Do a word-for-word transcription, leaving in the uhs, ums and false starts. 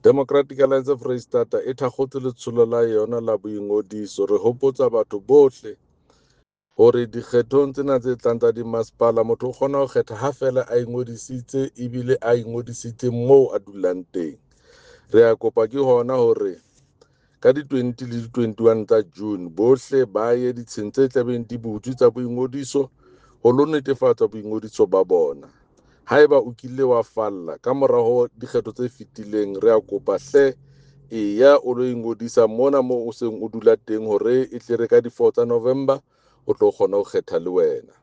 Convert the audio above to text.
Democratic Alliance Freistata e thakgotse letsholo la yona la boingodiso. Re hopotsa batho bohle hore dikgethong tsena tse tlang tsa dimasepala, motho o kgona ho kgetha ha feela a ingodisitse ebile a ingodisitse moo a dulang teng. Re a kopa ke hona hore ka di-twenty le di-twenty-one tsa June bohle ba ye ditsheng tse tlabeng di butswe tsa boingodiso ho lo netefatsa boingodiso ba bona. Haeba o kile wa falla ka mora ho dikgetho tse fetileng, re a kopa hle eya o lo ingodisa mona moo o seng o dula teng hore e tle re ka di-four tsa November o tlo kgona ho kgetha le wena.